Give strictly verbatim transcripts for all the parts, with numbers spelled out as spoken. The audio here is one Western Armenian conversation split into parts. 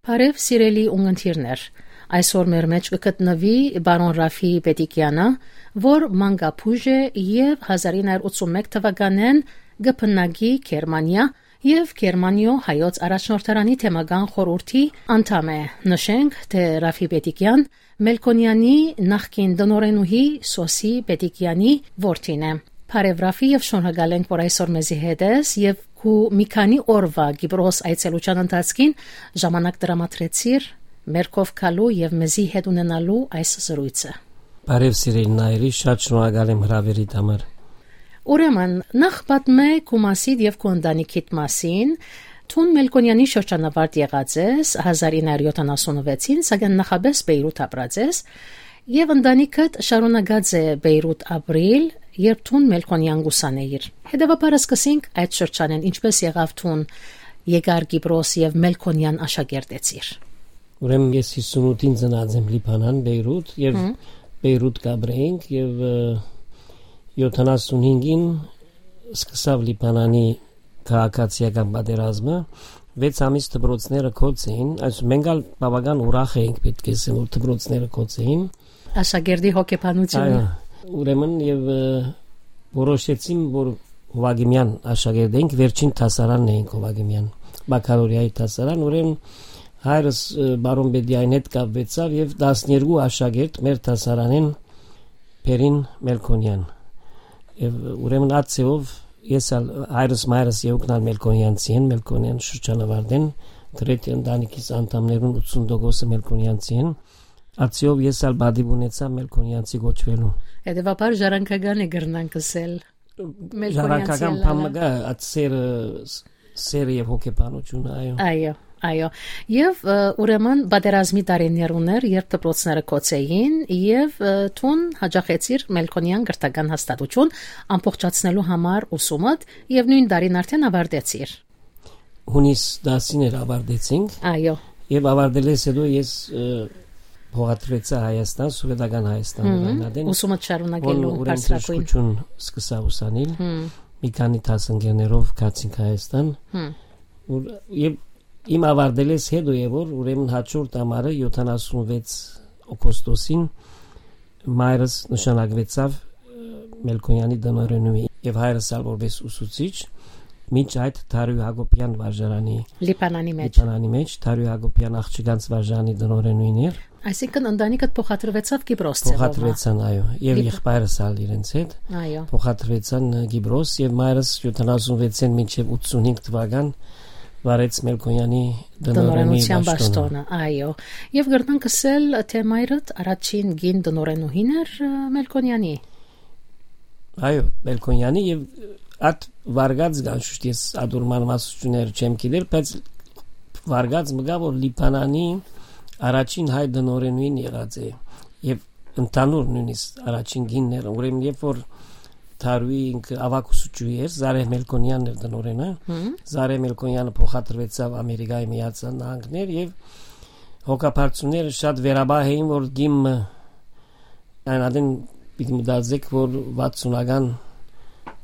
Բարեւ, սիրելի ունգընտիրներ, այսօր մեր մէջ կը գտնուի պարոն Ռաֆի Պետիկեանը, որ մանկապուժ է եւ հազար ինը հարիւր ութսուն մէկ թուականէն կը բնակի Գերմանիա եւ Գերմանիոյ հայոց առաջնորդարանի թեմական խորհուրդի անդամ է։ Նշենք, թէ Ռաֆի Պետիկեան Մելքոնեանի նախկին տնօրենուհի Սոսի Պետիկեանի որդին է։ Բարեւ Ռաֆի, եւ շնորհակալ ենք, որ այսօր մեզի հետ ես, եւ քու մի քանի օրուայ Կիպրոս այցելութեան ընթացքին ժամանակ տրամադրեցիր մեր քով գալու եւ մեզի հետ ունենալու այս զրոյցը։ Բարեւ, սիրելի Նայիրի, շատ շնորհակալ եմ հրաւերիդ համար։ Ուրեմն, նախ պատմէ քու մասիդ եւ քու ընտանիքիդ մասին։ Դուն Մելքոնեանի շրջանավարտ եղած ես հազար ինը հարիւր յոթանասունվեցին, սակայն նախապէս Պէյրութ ապրած ես, եւ ընտանիքդ շարունակած է Պէյրութ ապրիլ, երբ դուն Մելքոնեան կ'ուսանէիր։ Հետեւաբար, սկսենք այդ շրջանէն, ինչպէս եղաւ դուն եկար Կիպրոս եւ Մելքոնեան աշակերտեցիր։ Ուրեմն, ես հիսունութին ծնած եմ Լիբանան, Պէյրութ, եւ Հմ։ Պէյրութ կ'ապրենք, եւ, ը, յոթանասունհինգին սկսաւ Լիբանանի քաղաքացիական պատերազմը, վեց ամիս դպրոցները գոց էին, այսինքն մենք ալ բավական ուրախ էինք, պէտք է ասեմ, որ դպրոցները գոց էին։ Աշակերտի հոգեբանությունը։ Այո, ուրեմն եւ, ը, որոշեցին, որ Հովակիմեան աշակերտ էինք, վերջին դասարանն էինք Հովակիմեան, բակալորիայի դասարան, ուրեմն հայրս, ը, պարոն Պետիկեանին հետ կապվեցաւ եւ տասներկու աշակերտ մեր դասարանէն բերին Մելքոնեան։ Եւ ուրեմն այդ ձեւով ես ալ, հայրս, մայրս, երկուքն ալ Մելքոնեանցի են, Մելքոնեան շրջանավարտ են, գրեթէ ընտանիքիս անդամներուն ութսուն տոկոսը Մելքոնեանցի են։ Այդ ձեւով ես ալ պատիւ ունեցայ Մելքոնեանցի կոչուելու։ Հետեւաբար, ժառանգական է, կրնանք ըսել, Մելքոնեանցի Ժառանգական ելլալը։ բան մը կայ, այդ սերը, ս-, սերը եւ հոգեբանությունը, այո։ Այո, այո։ Եւ, ը, ուրեմն, պատերազմի տարիներ ուներ, երբ դպրոցները գոց էին, եւ, ը, դուն յաճախեցիր Մելքոնեան կրթական հաստատութիւն ամբողջացնելու համար ուսումդ եւ նոյն տարին արդէն աւարտեցիր։ Հունիս տասին էր, աւարտեցինք։ Այո։ Եւ աւարտելէս հետո ես, ը, փոխադրուեցայ Հայաստան, Սովետական Հայաստան, Հմ, Ռայնադեն, ուսումը շարունակելու հոն ուրեմն բարձրագույն։ բժշկություն սկսա ուսանիլ։ Հմ։ Մի քանի դասընկերներով գացինք Հայաստան։ Հմ։ Որ, եւ իմ աւարտելէս հետո է, որ ուրեմն հաջորդ ամառը, յոթանասունվեց օգոստոսին, մայրս նշանակվեցաւ, ը, Մելքոնեանի տնօրենուհի, եւ հայրս ալ որպես ուսուցիչ, մինչ այդ Դարիւ Յակոբեան վարժարանի Լիբանանի մեջ։ Լիբանանի մեջ, Դարիւ Յակոբեան աղջկանց վարժարանի տնօրենուհին էր։ Այսինքն, ընտանիքդ փոխադրվեցաւ Կիպրոս ձևով, հա՞։ Փոխադրվեցան, այո, եւ Լիբ- եղբայրս ալ իրենց հետ Այո։ փոխադրվեցան, ը, Կիպրոս, եւ մայրս յոթանասունվեցին մինչեւ ութսունհինգ թվական վարեց Մելքոնեանի տնօրենի Տնօրենության պաշտոնը։ պաշտոնը, այո։ Եվ կրնանք ըսել, թէ մայրդ առաջին կին տնօրենուհին էր, ը, Մելքոնեանի։ Այո, Մելքոնեանի, եւ այդ վարկած կան, շուշտ ես ատորման մասնությունները չեմ գիտեր, բայց վարկած մը կայ, որ Լիբանանի առաջին հայ տնօրենուհին եղած է, եւ ընդհանուր նոյնիսկ առաջին կինն էր, ուրեմն երբ որ Դարուի ինքը աւագ ուսուցչուհի էր, Զարեհ Մելքոնեանն էր տնօրենը, Հմ։ Զարեհ Մելքոնեանը փոխադրվեցաւ Ամերիկայի Միացյալ Նահանգներ, եւ հոգաբարձուները շատ վերաբահ էին, որ կին մը այն ատեն պիտի մտածեք, որ վաթսունական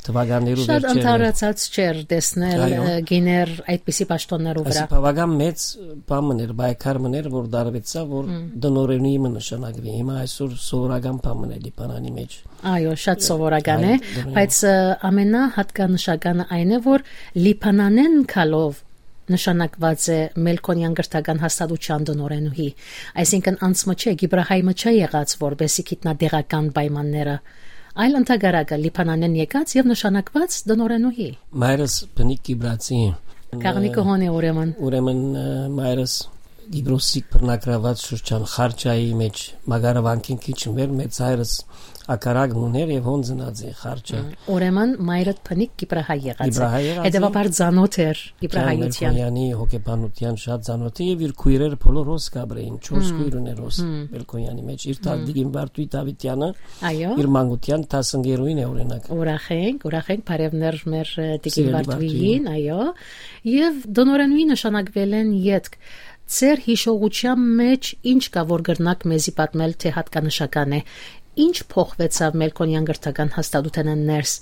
թվականներու Շատ վերջերն էր։ Ընդհանրացած չէր տեսնել, Այո։ ը, գիներ այդպիսի պաշտոններու վրա։ Այսինքն բավական մեծ բան մն էր, պայքար մն էր, որ դարվեցաւ, որ Հմ։ տնօրենուհի մը նշանակվի։ Հիմա այսօր սովորական բան մն է Լիբանանի մեջ։ Այո, շատ սովորական է, Այո, տնօրեն։ բայց, ը, ամենահատկանշականը այն է, որ Լիբանանէն գալով նշանակված է Մելքոնեան կրթական հաստատութեան տնօրենուհի, այսինքն անցմը չէ, կիպրահայ մը չէ եղած, որպեսի գիտնայ տեղական պայմանները, այլ ընդհակառակը Լիբանանէն եկած եւ նշանակված տնօրենուհի։ Մայրս բնիկ կիպրացի է։ Քաղնիկը հոն է ուրեմն։ Ուրեմն, ը, մայրս Կիպրոսի բռնակրաված շրջան Խարչայի մեջ, Մագարավանքին քիչ մը վեր, մեծ հայրս ակարակ մուներ եւ հոն ծնած է Խարչա։ Ուրեմն մայրդ բնիկ կիպրահայ եղած է։ Կիպրահայ եղած է։ Հետեւաբար ծանոթ էր կիպրահայության։ Մելքոնեանի հոգեբանության շատ ծանոթ է, եւ իր քույրեր բոլոր հոս կաբրեին, չորս Հմ։ քույր ուներ հոս Հմ։ Մելքոնեանի մեջ, իր Հմ։ տատիկին Վարդուի Դավիթյանը, Այո։ իր մանկության դասընկերուհին է, օրինակ։ Ուրախ ենք, ուրախ ենք, բարեւներ մեր, ը, տիկին Սիրելի Վարդուհին, Վարդուհին։ Այո։ Եւ տնօրենուհի նշանակվելէն ետք, ձեր յիշողության մեջ ինչ կա, որ կրնաք մեզի պատմել, թէ հատկանշական է։ Ինչ փոխուեցաւ Մելքոնեան կրթական հաստատութենէն ներս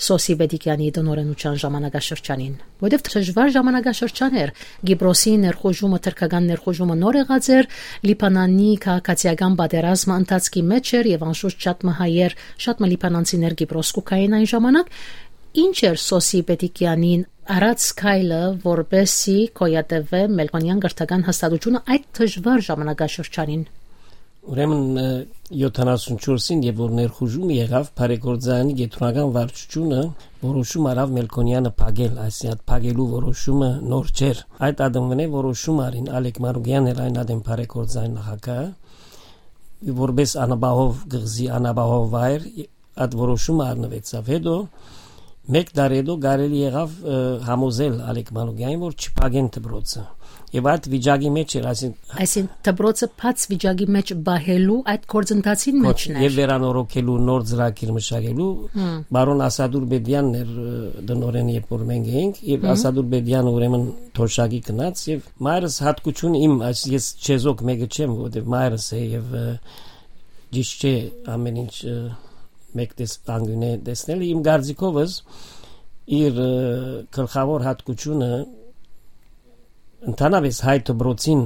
Սոսի Պետիկեանի տնօրէնութեան ժամանակաշրջանին, որովհետեւ դժուար ժամանակաշրջան էր, Կիպրոսի ներխուժումը, թրքական ներխուժումը նոր եղած էր, Լիբանանի քաղաքացիական պատերազմը ընթացքի մէջ էր եւ անշուշտ շատ մը հայեր, շատ մը լիբանանցիներ Կիպրոս կու գային այն ժամանակ։ Ինչ էր Սոսի Պետիկեանին առած քայլը, որպեսզի գոյատևէ Մելքոնեան կրթական հաստատութիւնը այդ դժուար ժամանակաշրջանին։ Ուրեմն, ը, յոթանասունչորսին, երբ որ ներխուժումը եղաւ, բարեգործայանի կեդրոնական վարչությունը որոշում առաւ Մելքոնեանը փակել, այսինքն փակելու որոշումը նոր չէր։ Այդ ադամնէ որոշում առին Ալեք Մանուկեան էր այն ադեն բարեգործային նախագահը, որպես անապահով կղզի, անապահով վայր, այդ որոշումը առնուեցաւ։ Հետո, մեկ դար հետո կարելի եղաւ, ը, համոզել Ալեք Մանուկեանին, որ չփակեն դպրոցը։ Եւ այդ վիճակի մէջ էր, այսինքն Այսինքն դպրոցը բաց վիճակի մէջ պահելու այդ գործընթացին կոչ-, մէջն էր։ Եւ վերանորոգելու, նոր ծրագիր մշակելու, Հմ։ Բարոն Ասադուր Բեդյանն էր, ը, տնօրէն, երբ որ մենք էինք, եւ Հմ։ Ասադուր Բեդյանը ուրեմն թոշակի գնաց, եւ մայրս հատկություն իմ, այս ես չեզոք մեկը չեմ, որովհետեւ մայրս է, եւ, ը, ճիշտ չէ ամեն ինչ, ը, մեկ տես-, անգունէ տեսնել։ Իմ կարծիքովս իր, ը, գլխաւոր հատկությունը, ընդհանրապես հայ դպրոցին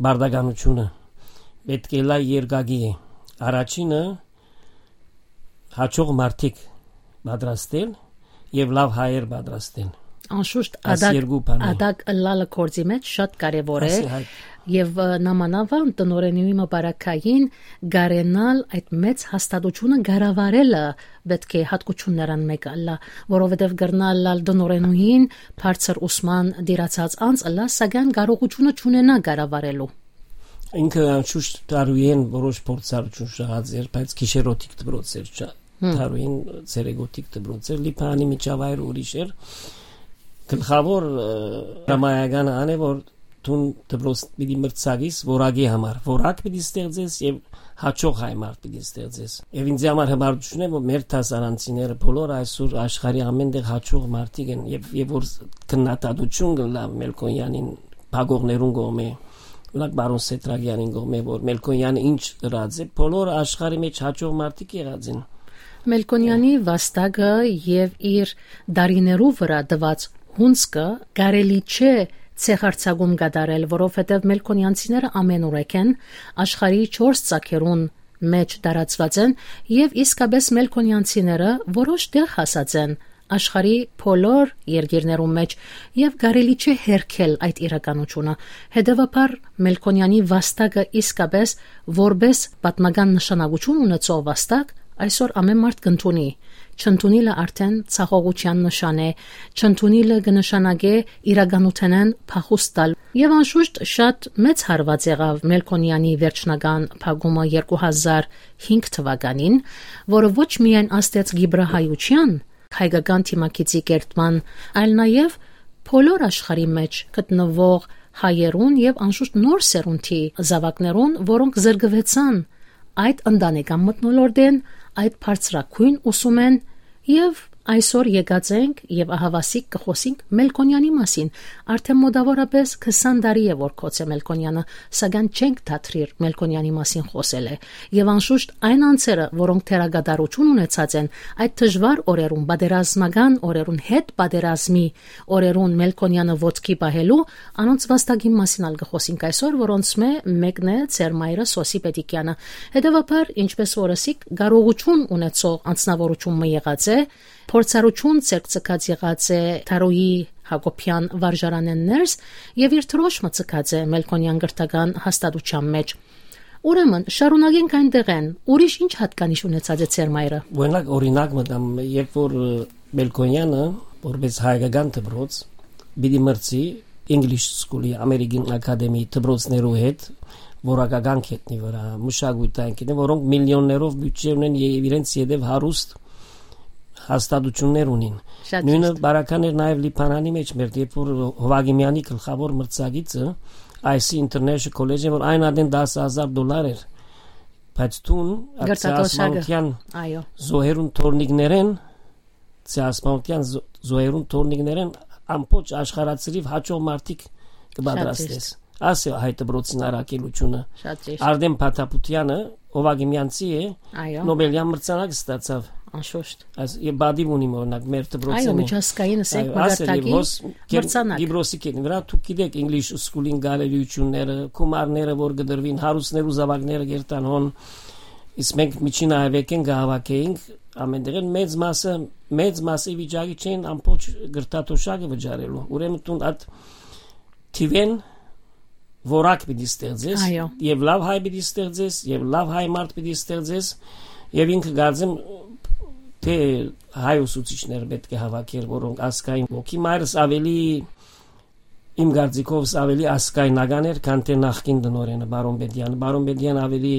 բարդականությունը պետք է լայ երկակի է։ Առաջինը, հաճող մարդիկ պատրաստել եւ լաւ հայեր պատրաստել։ Անշուշտ Այս ադակ, երկու բանը։ ադակ ըլլալը գործի մէջ շատ կարեւոր է։ Ասի հայ- Եւ, ը, նամանավան տնօրէնի մը բարակային կարենալ այդ մեծ հաստատությունը կառավարելը պետք է հատկություններն մեկը ըլլայ, որովհետեւ կրնայ ըլլալ տնօրէնուհին բարձր ուսման դիրացած անձ ըլլայ, սակայն կարողությունը չունենայ կառավարելու։ Ինքը անշուշտ Թարուհին որոշ փորձառություն շահած էր, բայց գիշերօթիկ դպրոց էր, չա-, Հմ։ Թարուհին ցերեկօթիկ դպրոց էր, Լիբանանի միջավայրը ուրիշ էր։ Գլխաւոր, ը, հրամայականը ան է, որ դուն դպրոց պիտի մրցակից որակի համար, որակ պիտի ստեղծես եւ հաճող հայ մարդ պիտի ստեղծես։ Եւ ինձ համար հպարտություն է, որ մեր դասարանցիները բոլոր այսօր աշխարհի ամեն տեղ հաճող մարդիկ են, եւ, եւ որ քննադատություն կլա Մելքոնեանին փակողներուն կողմէ, օրինակ, Բարոն Սեդրակեանին կողմէ, որ Մելքոնեանը ինչ ըրած է, բոլոր աշխարհի մէջ հաճող մարդիկ եղած են։ Մելքոնեանի վաստակը եւ իր դարիներու վրա տված հունձքը կարելի չէ ցեխարձակում կատարել, որովհետեւ մելքոնեանցիները ամենուրեք են, աշխարհի չորս ծագերուն մէջ տարածուած են, եւ իսկապէս մելքոնեանցիները որոշ տեղ հասած են աշխարհի բոլոր երկիրներուն մէջ, եւ կարելի չէ հերքել այդ իրականությունը։ Հետեւաբար, Մելքոնեանի վաստակը իսկապէս որպէս պատմական նշանակություն ունեցող վաստակ այսօր ամեն մարդ կընդունի։ Չընդունիլը արդեն ցախողութեան նշան է, չընդունիլը կը նշանակէ իրականութենէն փախուստ տալ։ Եւ անշուշտ շատ մեծ հարուած եղաւ Մելքոնեանի վերջնական փակումը երկու հազար հինգ թվականին, որը ոչ միայն ազդեց կիպրահայութեան, հայկական դիմագիծի կերտման, այլ նաեւ բոլոր աշխարհի մէջ գտնուող հայերուն եւ անշուշտ նոր սերունդի զաւակներուն, որոնք զրկուեցան այդ ընտանեկան մթնոլորտէն, այդ բարձրագոյն ուսումէն, եւ այսօր եկած ենք եւ ահաւասիկ կը խօսինք Մելքոնեանի մասին։ Արդեն մոտաւորապէս քսան տարի է, որ գոց է Մելքոնեանը, սակայն չենք դադրիր Մելքոնեանի մասին խօսելը։ Եւ անշուշտ այն անձերը, որոնք դերակատարութիւն ունեցած են այդ դժուար օրերուն, պատերազմական օրերուն, հետ պատերազմի օրերուն Մելքոնեանը ոտքի պահելու, անոնց վաստակին մասին ալ կը խօսինք այսօր, որոնց մէ մեկն է ձեր մայրը Սոսի Պետիկեանը։ Հետեւաբար, ինչպես որ ըսիք, կարողութիւն ունեցող անձնաւորութիւն մը եղած է, փորձառութիւն ձեռք ձգած եղած է Թարոյի Յակոբեան վարժարանէն ներս եւ իր դրոշմը ձգած է Մելքոնեան կրթական հաստատութեան մէջ։ Ուրեմն, շարունակենք այնտեղէն, ուրիշ ինչ յատկանիշ ունեցած է ձեր մայրը։ Օրինակ, օրինակ մը տամ, երբ որ, ը, Մելքոնեանը, որպես հայկական դպրոց, պիտի մրցի English School-ի, American Academy դպրոցներու հետ, որակական գետնի վրա, մշակութային գետնի, որոնք միլիոններով բյուջէ ունեն եւ իրենց ետեւ հարուստ հաստատություններ ունին։ Շատ Նույնը ճիշտ։ Բարական էր նաեւ Լիբանանի մեջ, մեր երբ որ Հովագիմյանի գլխավոր մրցակիցը, Icy International College-ը, որ այն ադեն տասը հազար դոլար էր, բայց դուն Գրտատոշակը։ Ասմանության Այո։ Զոհերուն թորնիկներեն, Ասմանության զո-, զոհերուն թորնիկներեն ամբողջ աշխարհացրիվ հաճող մարդիկ կպատրաստես։ Շատ ճիշտ։ Ասի հայ դպրոցին առաքելությունը։ Շատ ճիշտ։ Արդեն Փաթապուտյանը Ովակիմյանցի է, Այո։ Նոբելյան մրցանակ ստացավ։ Անշուշտ։ Այս, եւ բադիվ ունիմ, օրինակ, մեր դպրոցին Այո, է։ Միջազգային, ասենք, Այո, ասել եւ մակարդակի հոս կեն-, մրցանակ։ Կիպրոսի կեդին վրա, դուք գիտեք, English School-ին գալելիությունները, գումարները, որ կդրվին, հարուստներու զաւակները կերտան հոն, իսկ մենք միջին այվեկեն կհաւաքեինք, ամեն տեղեն մեծ մասը, մեծ մասը վիճակի չէին ամբողջ գրտաթոշակը վճարելու։ Ուրեմն դուն այդ թիվեն որակ պիտի ստեղծես, Այո։ Եւ լավ հայ պիտի ստեղծես, եւ լավ հայ մարդ պիտի ստեղծես, եւ ինքը կարծեմ, թե հայ ուսուցիչներ պետք է հավաքեր, որոնք ազգային ոգի, մայրս ավելի, իմ կարծիքովս ավելի ազգայնական էր, քան թե նախկին տնօրենը, Բարոն Պետեանը։ Բարոն Պետեան ավելի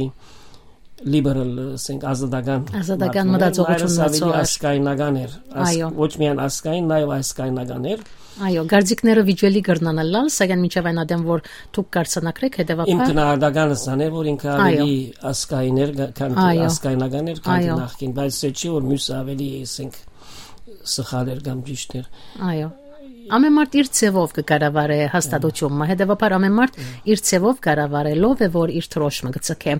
liberal, ասենք, ազատական Ազատական մարդ էր, մտածողություն մայրս ավելի ունեցող էր։ Ազգայնական էր, ազգ-, Այո։ Ոչ միայն ազգային, նաեւ ազգայնական էր։ Այո, կարծիքները վիճելի կրնան ըլլալ, սակայն մինչեւ այն ատեն, որ դուք կարձանագրեք, Իմ հետեւաբար գնահատականս ան էր, որ ինքը Այո։ ավելի ազգային էր, գա-, քան թե Այո։ ազգայնական էր, քան թե Այո։ նախկին, բայց սա չի, որ մյուսը ավելի, ասենք, սխալ էր կամ ճիշտ էր։ Այո։ Ամեն մարդ իր ձևով կկառավարէ հաստատությունը, հետեւաբար ամեն մարդ իր ձևով կառավարելով է, որ իր դրոշմը կցկէ։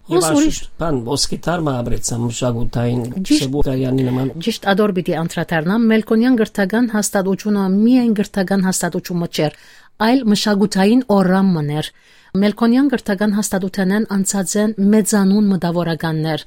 Եւ Հոս ուրիշ անշուշտ բան, ոսկի թարմը ապրեցան մշակութային Ճիշտ։ Սեբուկարյանի նման։ Ճիշտ ադոր պիտի անդրադառնամ, Մելքոնյան կրթական հաստատությունը միայն կրթական հաստատություն մը չէր, այլ մշակութային օրրան մն էր։ Մելքոնյան կրթական հաստատութենէն անցած են մեծանուն մտավորականներ։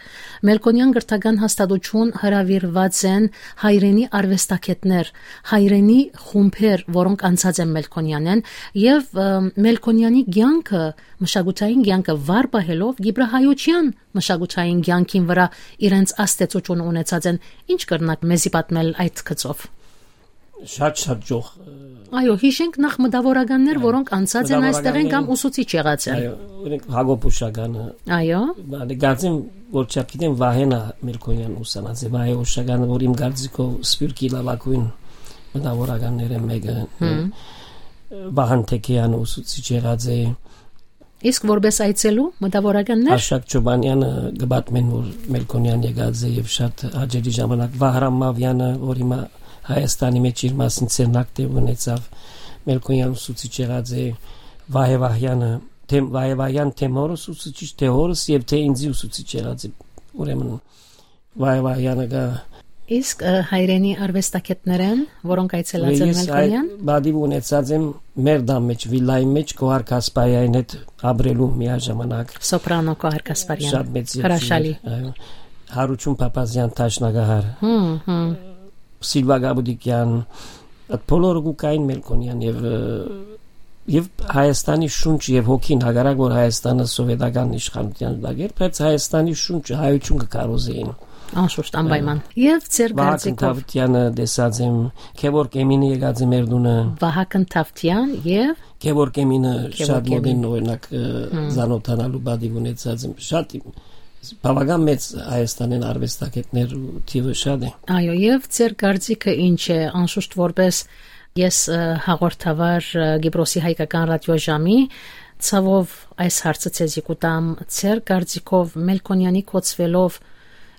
Մելքոնյան կրթական հաստատություն հրավիրուած են հայրենի արուեստագետներ, հայրենի խումբեր, որոնք անցած են Մելքոնյանեն, եւ, ը, Մելքոնյանի կեանքը, մշակութային կեանքը վառ պահելով, Կիպրահայության մշակութային կեանքին վրա իրենց ազդեցությունը ունեցած են։ Ինչ կրնաք մեզի պատմել այդ գծով։ Շատ, շատ ճոխ, ը, Այո, հիշենք նախ մտավորականներ, Այո, որոնք անցած են այստեղէն կամ մտավորականներ։ Ուսուցիչ եղած են։ Այո, օրինակ, Հակոբ Ուշականը, Այո։ բալի, կարծեմ, որ չափ գիտեմ, Վահենա Մելքոնյան ուսանած է, Վահե Ուշականը, որ իմ կարծիքով Սփիւռքի լաւագոյն մտավորականներէն մէկը, Հմ։ Վահան Թեքեյանը ուսուցիչ եղած է։ Իսկ որպես այցելու մտավորականներ։ Աշակ Չոբանյանը կը պատմեն, որ Մելքոնյան եկած է եւ շատ հաճելի ժամանակ, Վահրամ Մավյանը, որ հիմա Հայաստանի մեջ իր մասին ցերնակ տեղ ունեցավ, Մելքոնյան ուսուցիչ եղած է, Վահե Վահյանը, թեմ-, Վահե Վահյան թէ մորս ուսուցիչ, թէ հորս եւ թէ ինձի ուսուցիչ եղած է։ Ուրեմն Վահե Վահյանը կա։ Իսկ, ը, հայրենի արուեստագետներէն, որոնք այցելած են Ես այ Մելքոնյան։ Բադիվ ունեցած եմ մեր դամ մեջ, վիլայի մեջ Գոհար Գասպարյանին հետ ապրելու միաժամանակ։ Սոպրանո Գոհար Գասպարյան։ Շատ մեծ Հրաշալի։ Եղջյուր էր, այո։ Հարություն Փափազյան, դաշնակահար։ Հմ, հմ։ Սիլվա Գաբուդիկյան, այդ բոլորը կու կային Մելքոնյան եւ, ը, եւ Հայաստանի շունչ եւ հոգին, հակառակ որ Հայաստանը սովետական իշխանության տակ էր, բայց Հայաստանի շունչը հայություն կը քարոզեին։ Անշուշտ, անպայման։ Ա, Եւ ձեր Վահագն կարծիքով Թավթյանը տեսած եմ, Քևորգ Էմինը եկած է մեր տունը։ Վահագն Թավթյան եւ Քևորգ Էմինը Քևորգ շատ մոտ Էմին։ են, օրինակ, ը, Հմ։ ծանոթանալու բադիվ ունեցած եմ։ Շատ իմ, բավական մեծ Հայաստանեն արվեստագետներ ու թիվը շատ է։ Այո, եւ ձեր կարծիքը ինչ է, անշուշտ որպես ես, ը, հաղորդավար, ը, Կիպրոսի հայկական ռադիոժամի, ցավով այս հարցը ցեզի կուտամ, ձեր կարծիքով Մելքոնյանի կոչվելով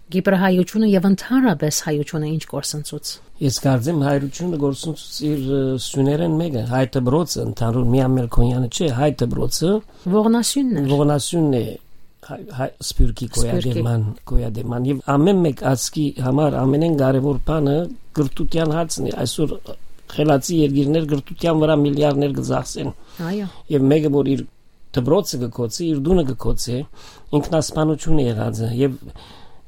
Կիպրահայությունը եւ ընդհանրապես հայությունը ինչ կորսնցուց։ Ես կարծեմ հայրությունը կորսնցուց իր, ը, սյուներեն մեկը, հայ դպրոցը ընդհանուր միայն Մելքոնյանը չէ, հայ դպրոցը Ողնասյունն էր։ Ողնասյունն է հայ, հայ, Սփյուռքի Սփյուռքի։ Գոյատևման, գոյատևման։ Եվ ամեն մեկ ազգի համար ամենեն կարևոր բանը կրթության հարցն է։ Այսօր խելացի երկիրներ կրթության վրա միլիարդներ կծախսեն։ Այո։ Եվ մեկը, որ իր դպրոցը կկոցի, իր տունը կկոցի, ինքնասպանություն է եղածը։ Եվ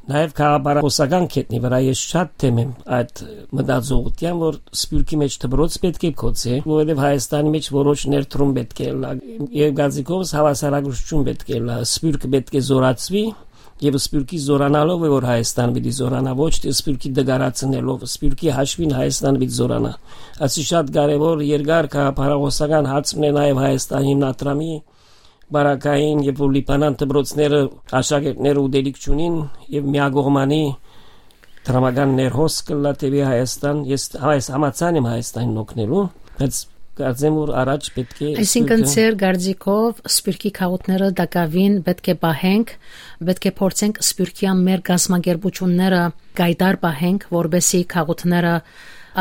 նաև գաղափարախոսական կետնի վրա ես շատ թեմ եմ այդ մտածողության, որ Սփյուռքի մեջ դպրոց պետք է կոցի, որովհետև Հայաստանի մեջ որոշ ներդրում պետք է ըլլա, եւ գազիկովս հավասարակշռություն պետք է ըլլա, Սփյուռքը պետք է զորացվի, եւ Սփյուռքի զորանալով է, որ Հայաստան պիտի զորանա, ոչ թե Սփյուռքի դգարացնելով, Սփյուռքի հաշվին Հայաստան պիտի զորանա։ Ասի շատ կարևոր երկար գաղափարախոսական հարց մնե նաև Հայաստան հիմնադրամի, Բարակային եւ որ Լիբանան դպրոցները աշակերտները ուտելիք չունին եւ միակողմանի դրամական ներհոս կլլա թեպի Հայաստան, ես, այս համաձայն եմ Հայաստանին օգնելու, բայց կարծեմ, որ առաջ պետք է Այսինքն Սփյուռքը ձեր կարծիքով Սփյուռքի քաղաքները տակավին պետք է պահենք, պետք է փորձենք Սփյուռքյան մեր կազմակերպությունները կայտար պահենք, որպեսզի քաղաքները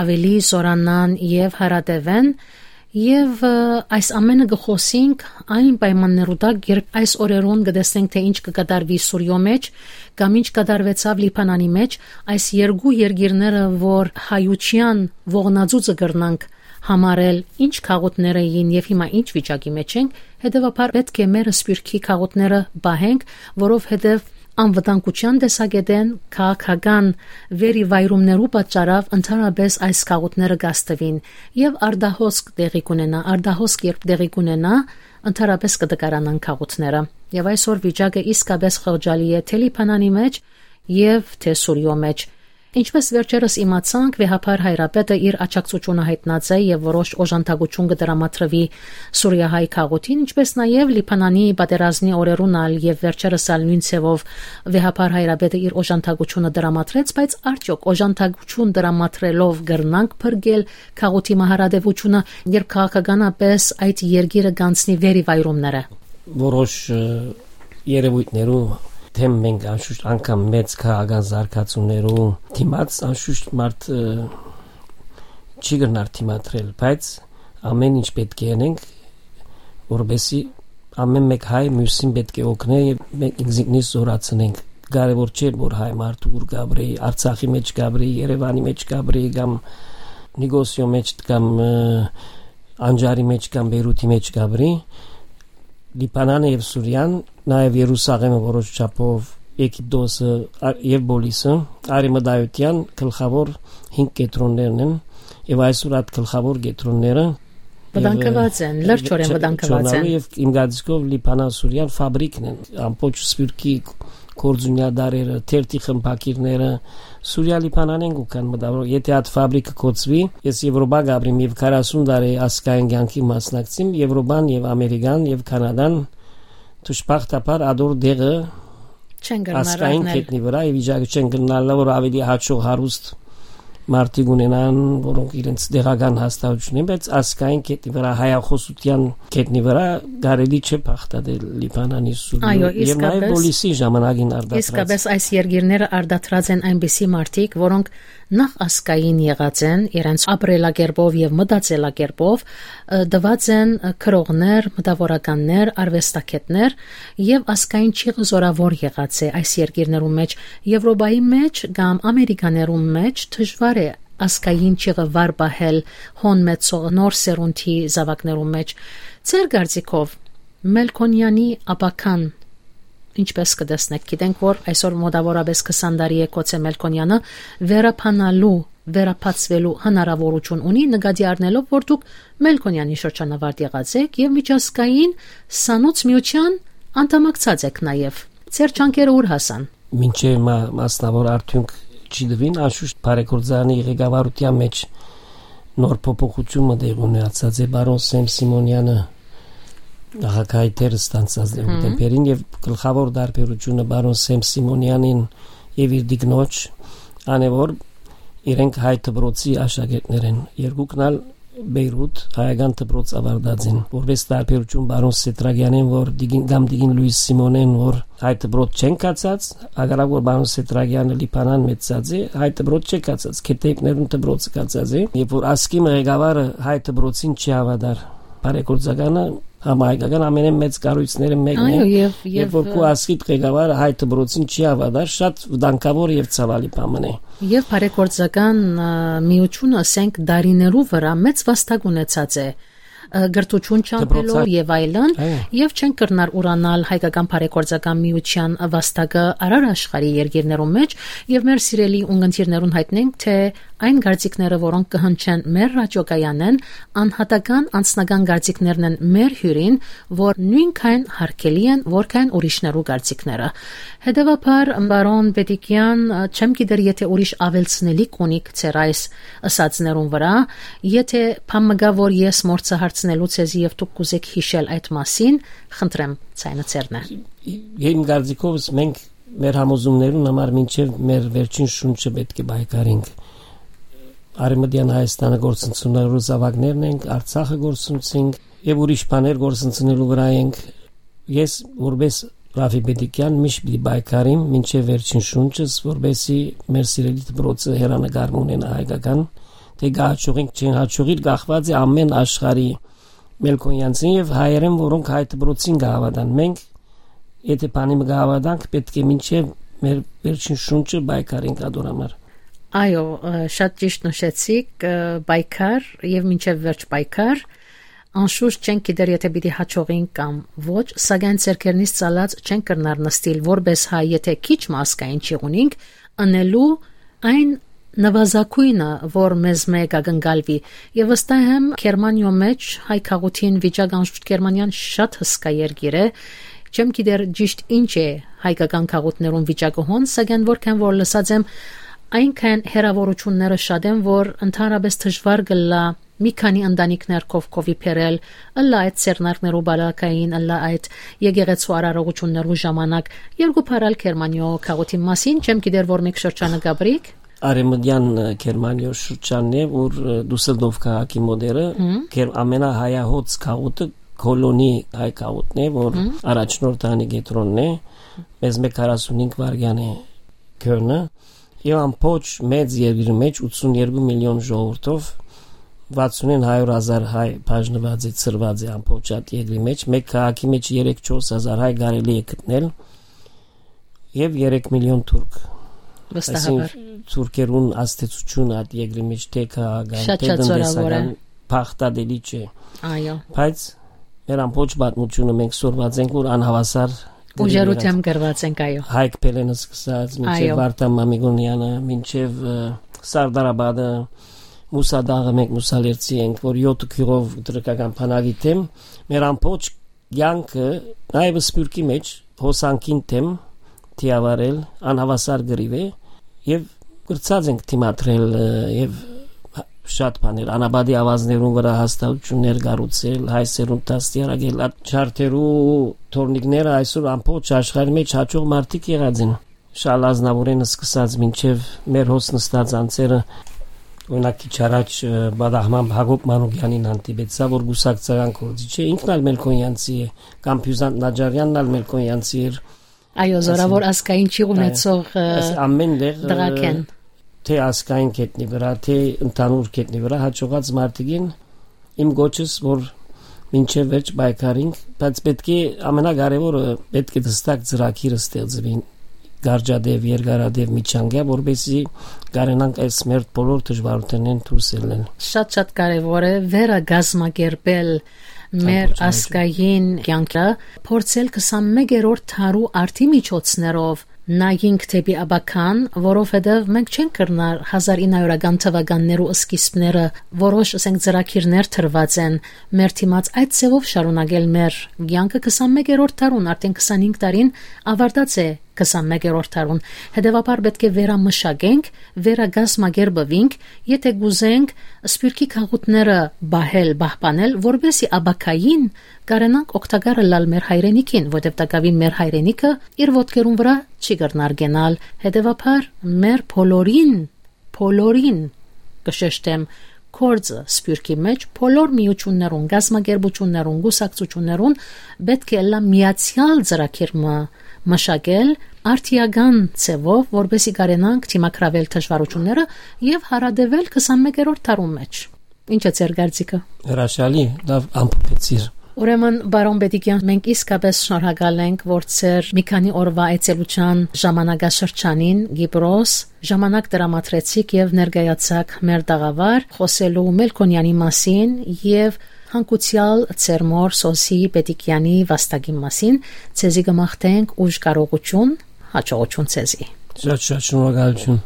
ավելի զորանան եւ հարատևեն, Եւ, ը, այս ամենը կը խօսինք այն պայմաններու տակ, երբ այս օրերուն կը տեսնենք, թէ ինչ կը կատարուի Սուրիոյ մէջ, կամ ինչ կատարուեցաւ Լիբանանի մէջ, այս երկու երկիրները, որ հայութեան ողնածուծը կրնանք համարել, ինչ գաղութներ էին եւ հիմա ինչ վիճակի մէջ ենք, հետեւաբար պէտք է մեր սփիւռքի գաղութները պահենք, որովհետեւ անվտանգութեան տեսակէտէն քաղաքական վերիվայրումներու պատճառաւ ընդհանրապէս այս գաղութները կաստուին եւ արտահոսք տեղի կունենայ, արտահոսք երբ տեղի կունենայ, ընդհանրապէս կը տկարանան գաղութները։ Եւ այսօր վիճակը իսկապէս խղճալի է թէ Լիբանանի մէջ եւ թէ Սուրիոյ մէջ։ Ինչպես վերջերս իմացանք, վեհափառ հայրապետը իր աջակցութիւնը յայտնած է եւ որոշ օժանդակութիւն կը տրամադրուի սուրիահայ գաղութին, ինչպես նաեւ Լիբանանի պատերազմի օրերուն ալ եւ վերջերս ալ նոյն ձեւով վեհափառ հայրապետը իր օժանդակութիւնը տրամադրեց, բայց արդեօք օժանդակութիւն տրամադրելով կրնանք փրկել գաղութի մահարատեւութիւնը, երբ քաղաքականապէս այդ երկիրը կանցնի վերիվայրումները։ Որոշ, ը, երեւոյթներու դէմ մենք անշուշտ անգամ մեծ քաղաքական զարգացումներու դիմաց անշուշտ մարդ, ը, չի կրնար դիմադրել, բայց ամեն ինչ պէտք է ընենք, որպեսզի ամեն մէկ հայ միւսին պէտք է օգնէ եւ մենք ինքզինքնիս զօրացնենք։ Կարեւոր չէ, որ հայ մարդը ուր կապրի, Արցախի մէջ կապրի, Երեւանի մէջ կապրի կամ Նիկոսիոյ մէջ կամ, ը, Անջարի մէջ կամ Բեյրութի մէջ կապրի, Լիբանանը եւ Սուրիան, նաեւ Երուսաղէմը որոշ չափով, Եգիպտոսը, ա-, եւ Պոլիսը, արեւմտայութեան գլխաւոր հինգ կեդրոններն են, եւ այսօր այդ գլխաւոր կեդրոնները վտանգուած են, լրջորեն վտանգուած են։ Չունենալու եւ իմ կարծիքով Լիբանան, Սուրիան ֆաբրիկն են, ամբողջ սփիւռքի գործունեատարերը, թերթի խմբագիրները, Սուրիա Լիբանանէն կու գան մտավորող, եթե այդ ֆաբրիկը կոծուի, ես Եվրոպա կապրիմ եւ քառասուն տարի ասկային կյանքի մասնակցիմ, Եվրոպան եւ Ամերիկան եւ Կանադան դժբախտաբար ադոր դեղը չեն կրնար ազգային առնել։ Կետնի վրա եւ վիճակը չեն կրնալը, որ ավելի հաճող հարուստ մարդիկ ունենան, որոնք իրենց դեղական հաստատություն են, բայց ազգային կետնի վրա, հայախոսության կետնի վրա կարելի չէ բախտատել Լիբանանի, Սուրիոյ։ Այո, եւ նաեւ իսկապես, Պոլիսի ժամանակին արտադրած։ Իսկապես այս երկիրները արտադրած են այնպիսի մարդիկ, որոնք նախ ազգային եղած են իրենց ապրելակերպով եւ մտածելակերպով, ը, տված են, ը, գրողներ, մտավորականներ, արուեստագետներ, եւ ազգային ճիղը զորաւոր եղած է այս երկիրներու մէջ, Եվրոպայի մէջ կամ Ամերիկաներու մէջ դժուար է ազգային ճիղը վար պահել հոն մեծող նոր սերունդի զաւակներու մէջ։ Ձեր կարծիքով, Մելքոնեանի ապագան ինչպես կը տեսնեք, գիտենք, որ այսօր մոտավորապես քսան տարի է գուցե Մելքոնեանը վերաբանալու, վերաբացվելու հնարաւորութիւն ունի, նկատի առնելով, որ դուք Մելքոնեանի շրջանավարտ եղած եք եւ միջազգային սանուց միութեան անդամակցած եք նաեւ։ Ձեր ջանքերը ո՞ւր հասան։ Մինչեւ մա-, մասնաւոր արդիւնք չի տուին, անշուշտ բարեգործարանի ղեկավարութեան մէջ նոր փոփոխութիւնը տեղի ունեցած է, պարոն Սեմ Սիմոնեանը նախագահի դեր ստանձնած է Հմ։ հոկտեմբերին, եւ գլխաւոր տարբերությունը պարոն Սեմ Սիմոնեանին եւ իր տիկնոջ անեւոր իրենք հայ դպրոցի աշակերտներ են, երկուքն ալ Բեյրութ հայական դպրոց ավարտած են, որպես տարբերություն պարոն Սետրակյանեն, որ տիկին, կամ տիկին Լուիս Սիմոնեն, որ հայ դպրոց չեն գացած, հակառակ որ պարոն Սետրակյանը Լիբանան մեծացած է, հայ դպրոց չէ գացած, Քեթեյպներուն դպրոցը գացած է, երբ որ Ասկիմը ղեկավարը հայ դպրոցին չի հավատար, բարեգործականը համահայկական ամենէն մեծ կառույցները մեկն է, Այո, եւ, երբ որ եւ, քու Ասկիդ ղեկավարը հայ դպրոցին չի հավատար, շատ վտանգավոր եւ ցավալի բան մնե։ Եւ բարեգործական, ը, միությունը, ասենք, դարիներու վրա մեծ վաստակ ունեցած է, ը, կրթութիւն չամբելով Դպրոցա- եւ այլն, Այո։ եւ չեն կրնար ուրանալ հայկական բարեգործական միութեան վաստակը արար աշխարհի երկիրներու մէջ, եւ մեր սիրելի ունգընտիրներուն յայտնենք, թէ այն կարծիքները, որոնք կը հնչեն մեր ռադիոկայանէն, անհատական անձնական կարծիքներն են մեր հիւրին, որ նոյնքան հարգելի են, որքան ուրիշներու կարծիքները։ Հետեւաբար, պարոն Պետիկեան, չեմ գիտեր, եթե ուրիշ աւելցնելիք ունիք ձեր այս ըսածներուն վրա, եթե բան մը կայ, որ ես մոռցայ հարցնելու ձեզի եւ դուք կուզեք յիշել այդ մասին, խնդրեմ, ձայնը ձերն է։ Իմ կարծիքովս մենք մեր համոզումներուն համար մինչեւ մեր վերջին շունչը պէտք է պայքարենք։ Արեւմտեան Հայաստանը գործընծնելու զաւակներն ենք, Արցախը գործընծինք եւ ուրիշ բաներ գործընծնելու վրա ենք։ Ես որպես Ռաֆի Պետիկեան միշտ պիտի պայքարիմ մինչեւ վերջին շունչս, որպեսզի մեր սիրելի դպրոցը հեռանկար մը ունենայ հայկական թէ կը հաջողինք, չեն հաջողիր, կախուած է ամէն աշխարհի մելքոնյանցին եւ հայերեն, որոնք հայ դպրոցին կը հաւատան։ Մենք, եթե բանի մը կը հաւատանք, պէտք է մինչեւ մեր վերջին շունչը պայքարենք ատոր համար։ Այո, ը, շատ ճիշտ նշեցիք, ը, պայքար եւ մինչեւ վերջ պայքար։ Անշուշտ չենք գիտեր, եթե պիտի հաջողինք կամ ոչ, սակայն ձեռքերնից ծալած չենք կրնար նստիլ որպես հայ, եթե քիչ մը ազգային չի ունինք, ընելու այն նվազագոյնը, որ մեզ մէ կը կնկալուի։ Եւ վստահ եմ, Գերմանիոյ մէջ հայ գաղութին վիճակ, անշուշտ Գերմանիան շատ հսկայ երկիր է, չեմ գիտեր ճիշտ ինչ է հայկական գաղութներուն վիճակը հոն, սակայն որքան որ լսած եմ, այնքան հեռաւորութիւնները շատ են, որ ընդհանրապես դժուար կ'ըլլայ մի քանի ընտանիքներ քով քովի բերել, ըլլայ այդ ձեռնարկներու բալակային, ըլլայ այդ եկեղեցու արարողութիւններու ժամանակ։ Երկու բառ ալ Գերմանիոյ գաղութին մասին, չեմ գիտեր որ մէկ շրջանը կ'ապրիք։ Արեւմտեան, ը, Գերմանիոյ շրջանն է, որ, ը, Դուսելդորֆ քաղաքի մոտերը, Հմ։ Գեր-, ամենահայահոծ գաղութը Քոլոնի հայ գաղութն է, որ Հմ։ առաջնորդանի կեդրոնն է, մեզ մէկ քառասունհինգ վայրկեան է գոնը, եւ ամբողջ մեծ երկրի մէջ ութսունյերկու միլիոն ժողովուրդով վաթսունին հարիւր հազար հայ բաժնուած է, ցրուած է ամբողջ այդ երկրի մէջ, մէկ քաղաքի մէջ երեք չորս հազար հայ կարելի է գտնել, եւ երեք միլիոն թուրք։ Վստահաբար։ Այսինքն, թուրքերուն ազդեցությունը այդ երկրի մէջ թէ քաղաքական, Շատ, թէ շատ զօրավոր է։ տնտեսական, փախտատելի չէ։ Այո։ Բայց մեր ամբողջ պատմությունը մենք սորված ենք, որ անհավասար Ուժերու դերերած դէմ կրված ենք, այո։ Հայկ Փելեն սկսած, մինչեւ Այո։ Վարդան Մամիկոնյանը, մինչեւ, ը, Սարդարապատը, Մուսա Դաղը, մենք մուսալերցի ենք, որ յոթ գյուղով թրքական բանակի դէմ, մեր ամբողջ կյանքը, նաեւ Սփիւռքի մէջ, հոսանքին դէմ դիավարել անհավասար կռիւ է, եւ կրցած ենք դիմադրել, ը, եւ շատ բաներ, անապատի աւազներուն վրայ հաստատութիւններ կառուցել, հայ սերունդ դաստիարակել, այդ չարթերու թորնիկները այսօր ամբողջ աշխարհի մէջ հաջող մարդիկ եղած են։ Շալ Ազնաւուրէն սկսած մինչեւ մեր հոս նստած անձերը, օրինակ, քիչ առաջ, ը, պատահմամբ Յակոբ Մանուկեանին հանդիպեցայ, որ կուսակցական գործիչ է, ինքն ալ մելքոնյանցի է, կամ Բիւզանդ Նաջարեանն ալ մելքոնյանցի էր։ Այո, զօրաւոր Այսինքն, ազգային ճիղ այո, ունեցող, ը, այս ամեն տեղ, ը, դղակ են։ Թէ ազգային կետնի վրայ, թէ ընդհանուր կետնի վրայ հաջողած մարդիկ են, իմ գոչս, որ մինչեւ վերջ պայքարինք, բայց պէտք է, ամենակարեւորը, պէտք է դստակ ծրագիր ստեղծուին, կարճատեւ, երկարատեւ, միջանկեայ, որպեսզի կարենանք այս մեր բոլոր դժվարութենէն դուրս ելնել։ Շատ, շատ կարեւոր է վերակազմակերպել մեր Ամբողջ ազգային կյանքը, փորձել քսանմեկերորդ դարու արդի միջոցներով նայինք դեպի ապագան, որովհետեւ մենք չենք կրնար հազար ինը հարիւրական թվականներու սկիզբները, որոշ, ասենք, ծրագիրներ դրուած են մեր դիմաց, այդ ձևով շարունակել մեր կյանքը քսանմեկերորդ դարուն, արդեն քսանհինգ տարին ավարտած է քսանմեկերորդ դարուն։ Հետեւաբար պէտք է վերամշակենք, վերակազմակերպվինք, եթե կուզենք Սփիւռքի գաղութները պահել, պահպանել, որպեսզի ապագային կարենանք օգտակար ըլլալ մեր հայրենիքին, որտեւ տակաւին մեր հայրենիքը իր ոտքերուն վրայ չի կրնար կենալ։ Հետեւաբար մեր բոլորին, բոլորին, կը շեշտեմ, գործը Սփիւռքի մէջ, բոլոր միութիւններուն, կազմակերպութիւններուն, կուսակցութիւններուն պէտք է ըլլայ միացեալ ծրագիր մը մշակել, արդիական ձեւով, որպեսզի կարենանք դիմագրավել դժվարութիւնները եւ հարատեւել քսանմեկերորդ դարուն մէջ։ Ի՞նչ է ձեր կարծիքը։ Հրաշալի, լաւ ամփոփեցիր։ Ուրեմն, պարոն Պետիկեան, մենք իսկապես շնորհակալ ենք, որ ձեր մի քանի օրվա այցելութեան ժամանակաշրջանին Կիպրոս ժամանակ տրամադրեցիք եւ ներկայացաք մեր տաղավար, խօսելու Մելքոնեանի մասին եւ հանգուցեալ ձեր մօր Սոսի Պետիկեանի վաստակին մասին։ Ձեզի կը մաղթենք ուժ, կարողութիւն, հաջողութիւն ձեզի։ Շատ, շատ շնորհակալութիւն։